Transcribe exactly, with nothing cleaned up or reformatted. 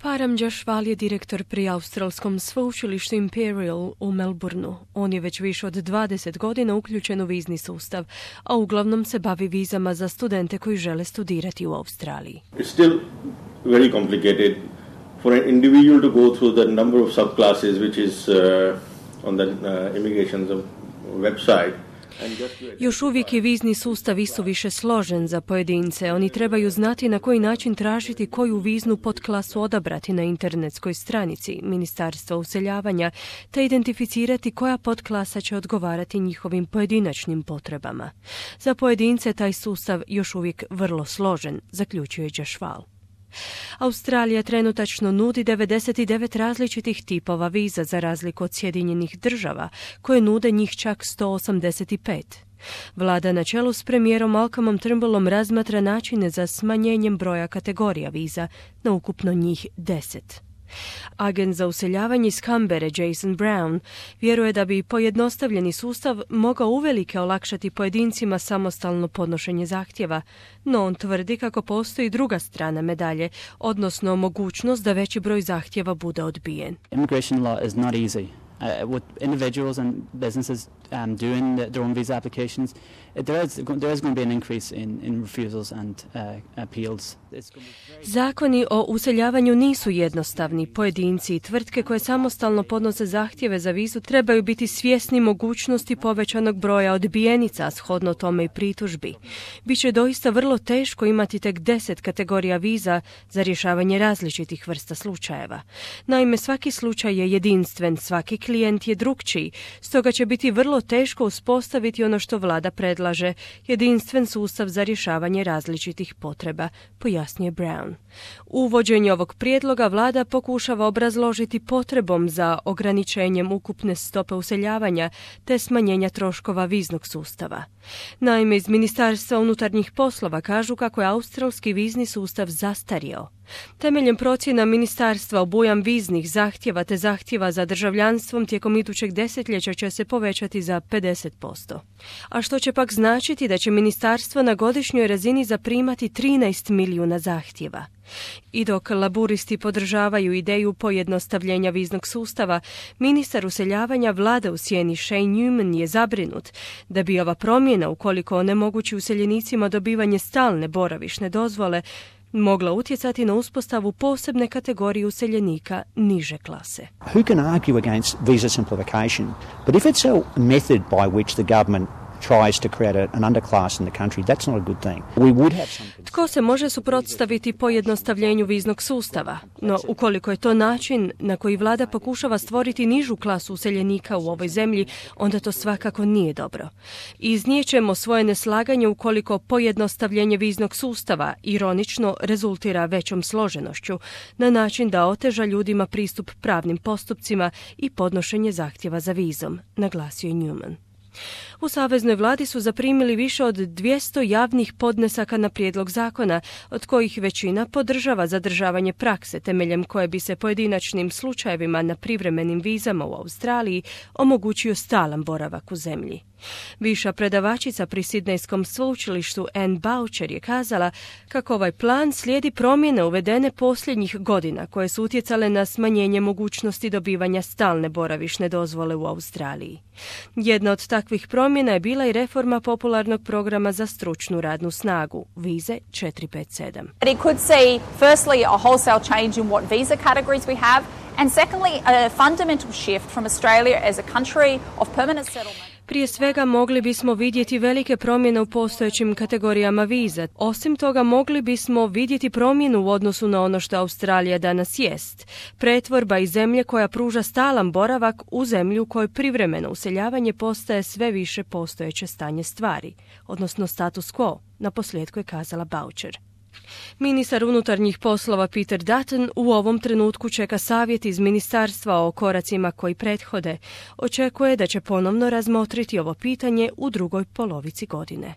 Param Jašval je direktor pri australskom sveučilištu Imperial u Melbourneu. On je već više od dvadeset godina uključen u vizni sustav, a uglavnom se bavi vizama za studente koji žele studirati u Australiji. It's still very complicated for an individual to go through the number of subclasses which is uh, on the uh, immigration's website. Još uvijek je vizni sustav isuviše složen za pojedince. Oni trebaju znati na koji način tražiti koju viznu podklasu odabrati na internetskoj stranici Ministarstva useljavanja, te identificirati koja podklasa će odgovarati njihovim pojedinačnim potrebama. Za pojedince taj sustav još uvijek vrlo složen, zaključuje Jašval. Australija trenutačno nudi devedeset devet različitih tipova viza za razliku od Sjedinjenih država, koje nude njih čak sto osamdeset pet. Vlada na čelu s premijerom Malcolmom Turnbullom razmatra načine za smanjenjem broja kategorija viza na ukupno njih deset. Agent za useljavanje iz Canberre Jason Brown vjeruje da bi pojednostavljeni sustav mogao uvelike olakšati pojedincima samostalno podnošenje zahtjeva, no on tvrdi kako postoji druga strana medalje, odnosno mogućnost da veći broj zahtjeva bude odbijen. Immigration law is not easy. Uh, what individuals and businesses um, do in the, their own visa applications, there is, there is going to be an increase in, in refusals and uh, appeals. Zakoni o useljavanju nisu jednostavni. Pojedinci i tvrtke koje samostalno podnose zahtjeve za vizu trebaju biti svjesni mogućnosti povećanog broja odbijenica, shodno tome i pritužbi. Biće doista vrlo teško imati tek deset kategorija viza za rješavanje različitih vrsta slučajeva. Naime, svaki slučaj je jedinstven, svaki klijent je drukčiji, stoga će biti vrlo teško uspostaviti ono što vlada predlaže, jedinstven sustav za rješavanje različitih potreba, pojasnio Brown. Uvođenje ovog prijedloga vlada pokušava obrazložiti potrebom za ograničenjem ukupne stope useljavanja te smanjenja troškova viznog sustava. Naime, iz Ministarstva unutarnjih poslova kažu kako je australski vizni sustav zastario. Temeljem procjena ministarstva obujam viznih zahtjeva te zahtjeva za državljanstvom tijekom idućeg desetljeća će se povećati za pedeset posto. A što će pak značiti da će ministarstvo na godišnjoj razini zaprimati trinaest milijuna zahtjeva. I dok laburisti podržavaju ideju pojednostavljenja viznog sustava, ministar useljavanja vlade u sjeni Shane Newman je zabrinut da bi ova promjena, ukoliko onemogući useljenicima dobivanje stalne boravišne dozvole, mogla utjecati na uspostavu posebne kategorije useljenika niže klase. Who can argue against visa simplification? But if it's a method by which the government tries to create an underclass in the country, that's not a good thing. We would have some... Tko se može suprotstaviti pojednostavljenju viznog sustava? No, ukoliko je to način na koji vlada pokušava stvoriti nižu klasu useljenika u ovoj zemlji, onda to svakako nije dobro. Iznijećemo svoje neslaganje ukoliko pojednostavljenje viznog sustava ironično rezultira većom složenošću, na način da oteža ljudima pristup pravnim postupcima i podnošenje zahtjeva za vizom, naglasio je Newman. U saveznoj vladi su zaprimili više od dvjesto javnih podnesaka na prijedlog zakona, od kojih većina podržava zadržavanje prakse temeljem koje bi se pojedinačnim slučajevima na privremenim vizama u Australiji omogućio stalan boravak u zemlji. Viša predavačica pri Sidnejskom sveučilištu Anne Boucher je kazala kako ovaj plan slijedi promjene uvedene posljednjih godina koje su utjecale na smanjenje mogućnosti dobivanja stalne boravišne dozvole u Australiji. Jedna od takvih promjena je bila i reforma popularnog programa za stručnu radnu snagu, vize četiri pet sedam. It could see firstly a wholesale change in what visa categories we have, and secondly a fundamental shift from Australia as a country of permanent settlement. Prije svega mogli bismo vidjeti velike promjene u postojećim kategorijama viza. Osim toga mogli bismo vidjeti promjenu u odnosu na ono što Australija danas jest. Pretvorba iz zemlje koja pruža stalan boravak u zemlju u kojoj privremeno useljavanje postaje sve više postojeće stanje stvari, odnosno status quo, naposljetku je kazala Boucher. Ministar unutarnjih poslova Peter Dutton u ovom trenutku čeka savjet iz ministarstva o koracima koji prethode. Očekuje da će ponovno razmotriti ovo pitanje u drugoj polovici godine.